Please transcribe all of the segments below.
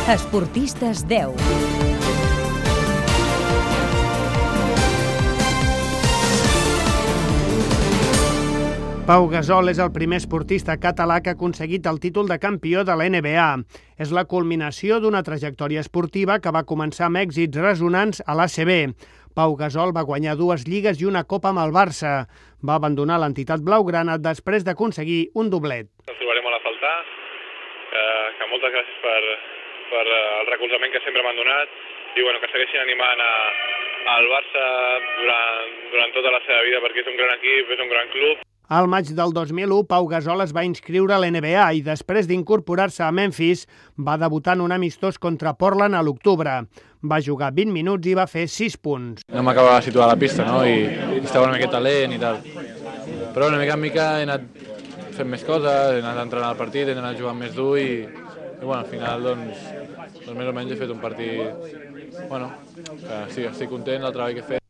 Esportistes 10. Pau Gasol és el primer esportista català que ha aconseguit el títol de campió de la NBA. És la culminació d'una trajectòria esportiva que va començar amb èxits ressonants a l'ACB. Pau Gasol va guanyar 2 lligues i una copa amb el Barça. Va abandonar l'entitat blaugrana després d'aconseguir un doblet. Ens trobarem molt a faltar, que moltes gràcies per el recolzament que sempre m'han donat i que segueixin animant al Barça durant tota la seva vida, perquè és un gran equip, és un gran club. Al maig del 2001, Pau Gasol es va inscriure a l'NBA i després d'incorporar-se a Memphis va debutar en un amistós contra Portland a l'octubre. Va jugar 20 minuts i va fer 6 punts. No m'acabava de situar a la pista, no? I estava una miqueta lent i tal. Però una mica en mica he anat fent més coses, he anat entrenant al partit, he anat jugant més dur i al final doncs més o menys he fet un partit que sí, estic content del treball que he fet.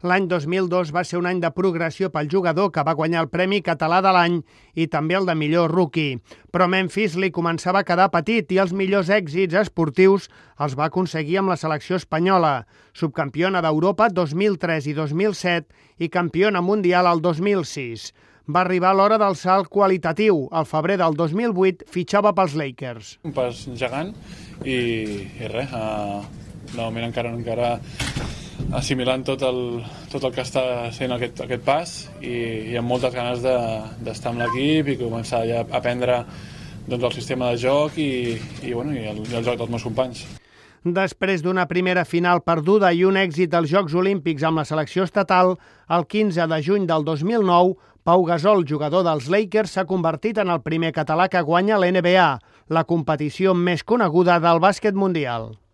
L'any 2002 va ser un any de progressió pel jugador que va guanyar el Premi Català de l'any i també el de millor rookie. Però Memphis li començava a quedar petit i els millors èxits esportius els va aconseguir amb la selecció espanyola. Subcampiona d'Europa 2003 i 2007 i campiona mundial el 2006. Va arribar l'hora del salt qualitatiu. Al febrer del 2008 fitxava pels Lakers. Un pas gegant i res, de moment encara assimilant tot el que està sent aquest pas i amb moltes ganes d'estar amb l'equip i començar ja a aprendre el sistema de joc i el joc dels meus companys. Després d'una primera final perduda i un èxit als Jocs Olímpics amb la selecció estatal, el 15 de juny del 2009, Pau Gasol, jugador dels Lakers, s'ha convertit en el primer català que guanya l'NBA, la competició més coneguda del bàsquet mundial.